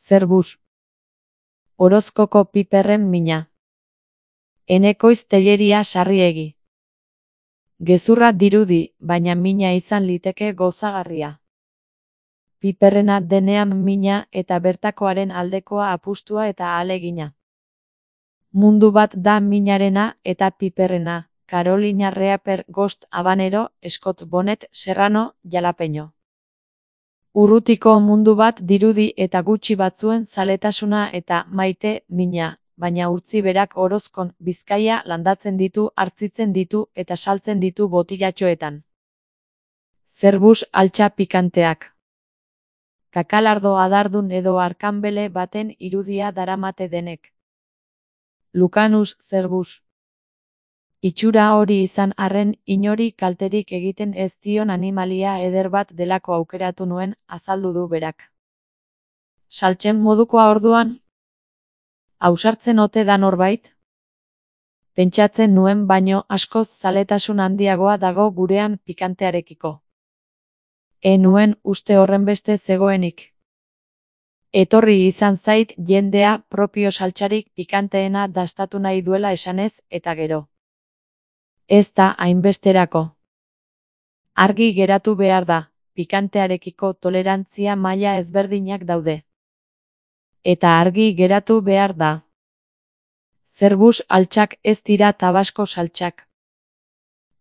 Zerbuz. Orozkoko piperren mina. Enekoiz Telleria Sarriegi. Gezurra dirudi, baina mina izan liteke gozagarria. Piperrena denean mina eta bertakoaren aldekoa apustua eta ahalegina. Mundu bat da minarena eta piperrena, Carolina Reaper Ghost Habanero, Scott Bonnet Serrano, Jalapeño. Urrutiko mundu bat dirudi eta gutxi batzuen zaletasuna eta maite mina, baina urtzi berak Orozkon, Bizkaia landatzen ditu, hartzitzen ditu eta saltzen ditu botilatxoetan. Zerbuz altxa pikanteak. Kakalardo adardun edo arkanbele baten irudia daramate denek. Lucanus zerbuz. Itxura hori izan arren inori kalterik egiten ez dion animalia eder bat delako aukeratu nuen, azaldu du berak. Saltzen modukoa orduan? Ausartzen ote da norbait? Pentsatzen nuen baino askoz zaletasun handiagoa dago gurean pikantearekiko. Nuen uste horrenbeste zegoenik. Etorri izan zait jendea propio saltsarik pikanteena dastatu nahi duela esanez eta gero. Ez da hainbesterako. Argi geratu behar da, pikantearekiko tolerantzia maila ezberdinak daude. Eta argi geratu behar da. Zerbuz altxak ez dira tabasko saltxak.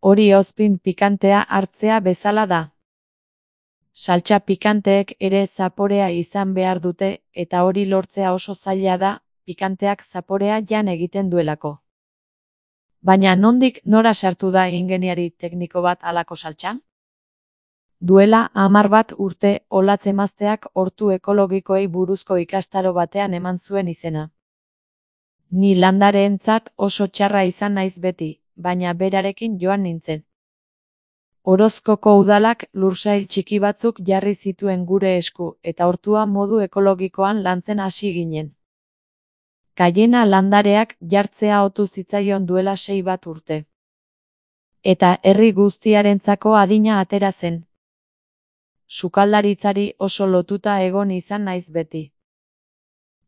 Hori ozpin pikantea hartzea bezala da. Saltxa pikanteek ere zaporea izan behar dute eta hori lortzea oso zaila da, pikanteak zaporea jan egiten duelako. Baina nondik nora sartu da ingeniari tekniko bat halako saltxan? Duela 10 bat urte Olatzemazteak hortu ekologikoei buruzko ikastaro batean eman zuen izena. Ni landareentzat oso txarra izan naiz beti, baina berarekin joan nintzen. Orozkoko udalak lursail txiki batzuk jarri zituen gure esku eta hortua modu ekologikoan lantzen hasi ginen. Kaiena landareak jartzea otu zitzaion duela 6 bat urte. Eta herri guztiarentzako adina atera zen. Sukaldaritzari oso lotuta egon izan naiz beti.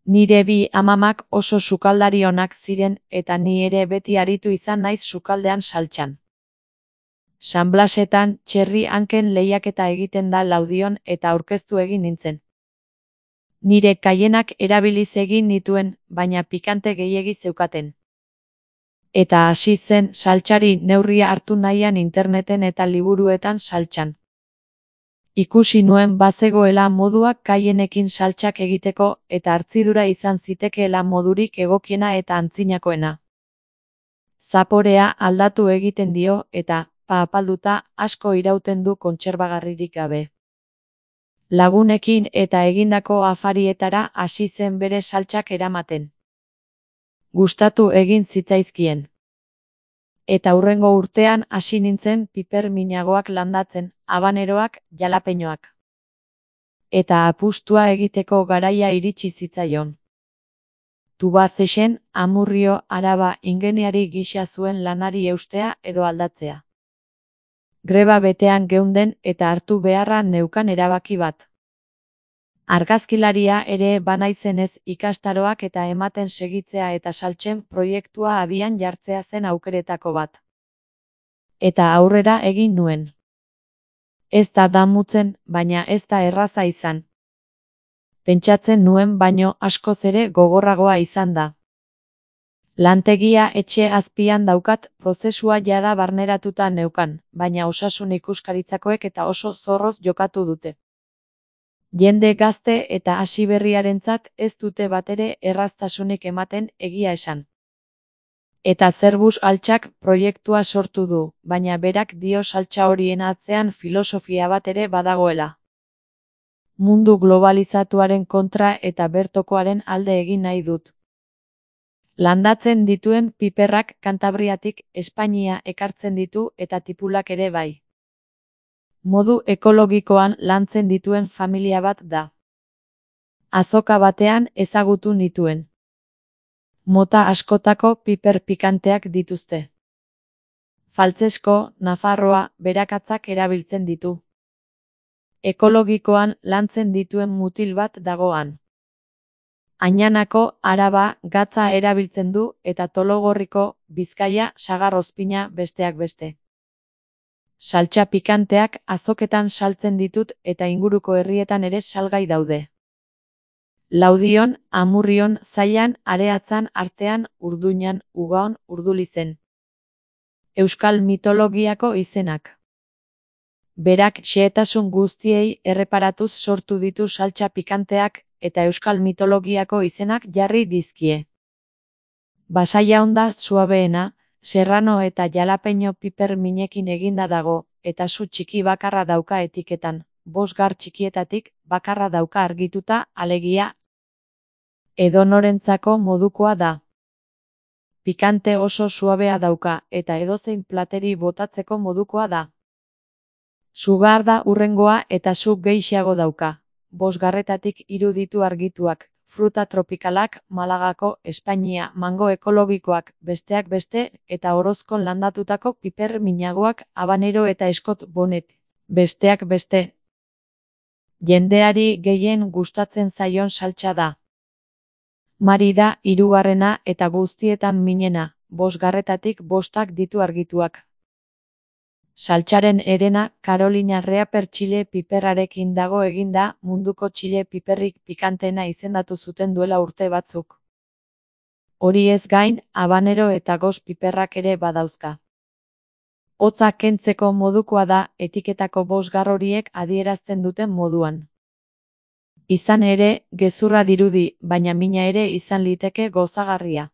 Nire bi amamak oso sukaldari onak ziren eta ni ere beti aritu izan naiz sukaldean saltxan. San Blasetan txerri hanken lehiaketa egiten da Laudion eta aurkeztu egin nintzen. Nire kaienak erabiliz egin nituen, baina pikante gehiegi zeukaten. Eta hasi zen saltxari neurria hartu nahian interneten eta liburuetan saltxan. Ikusi nuen bazegoela moduak kaienekin saltxak egiteko eta hartzidura izan zitekeela modurik egokiena eta antzinakoena. Zaporea aldatu egiten dio eta, apalduta, asko irauten du kontserbagarririk gabe. Lagunekin eta egindako afarietara hasi zen bere saltxak eramaten. Gustatu egin zitzaizkien. Eta hurrengo urtean hasi nintzen piper minagoak landatzen, habaneroak, jalapeñoak. Eta apustua egiteko garaia iritsi zitzaion. Tubacexen, Amurrio, Araba ingeniari gisa zuen lanari eustea edo aldatzea. Greba betean geunden eta hartu beharra neukan erabaki bat. Argazkilaria ere banaizenez ikastaroak eta ematen segitzea eta saltxen proiektua abian jartzea zen aukeretako bat. Eta aurrera egin nuen. Ez da damutzen, baina ez da erraza izan. Pentsatzen nuen baino askoz ere gogorragoa izan da. Lantegia etxe azpian daukat, prozesua jada barneratuta neukan, baina osasun ikuskaritzakoek eta oso zorroz jokatu dute. Jende gazte eta hasiberriarentzat ez dute batere erraztasunik ematen egia esan. Eta Zerbuz altxak proiektua sortu du, baina berak dio saltxa horien atzean filosofia bat ere badagoela. Mundu globalizatuaren kontra eta bertokoaren alde egin nahi dut. Landatzen dituen piperrak Kantabriatik Espainia ekartzen ditu eta tipulak ere bai. Modu ekologikoan lantzen dituen familia bat da. Azoka batean ezagutu nituen. Mota askotako piper pikanteak dituzte. Faltzesko, Nafarroa, berakatzak erabiltzen ditu. Ekologikoan lantzen dituen mutil bat dagoan. Añanako, Araba, gatza erabiltzen du eta Tologorriko, Bizkaia, sagar ozpina besteak beste. Saltsa pikanteak azoketan saltzen ditut eta inguruko herrietan ere salgai daude. Laudion, Amurrion, Zaian, Areatzan, Artean, Urduñan, Ugaon, Urdulizen. Euskal mitologiako izenak. Berak xehetasun guztiei erreparatuz sortu ditu saltsa pikanteak eta euskal mitologiako izenak jarri dizkie. Basaia honda suabeena, serrano eta jalapeño piper minekin eginda dago, eta su txiki bakarra dauka etiketan, 5 gar txikietatik bakarra dauka argituta, alegia edonorentzako modukoa da. Pikante oso suabea dauka eta edozein plateri botatzeko modukoa da. Sugar da hurrengoa eta su gehixeago dauka. 5 garretatik 3 ditu argituak, fruta tropikalak, Malagako, Espainia, mango ekologikoak, besteak beste, eta Orozkon landatutako piper minagoak, habanero eta Scott Bonnet, besteak beste. Jendeari gehien gustatzen zaion saltsa da. Mari da 3. eta guztietan minena, 5 garretatik 5 ditu argituak. Saltsaren herena Carolina Reaper txile piperrarekin dago eginda, munduko txile piperrik pikanteena izendatu zuten duela urte batzuk. Hori ez gain, habanero eta gos piperrak ere badauzka. Hotza kentzeko modukoa da etiketako 5 gar horiek adierazten duten moduan. Izan ere, gezurra dirudi, baina mina ere izan liteke gozagarria.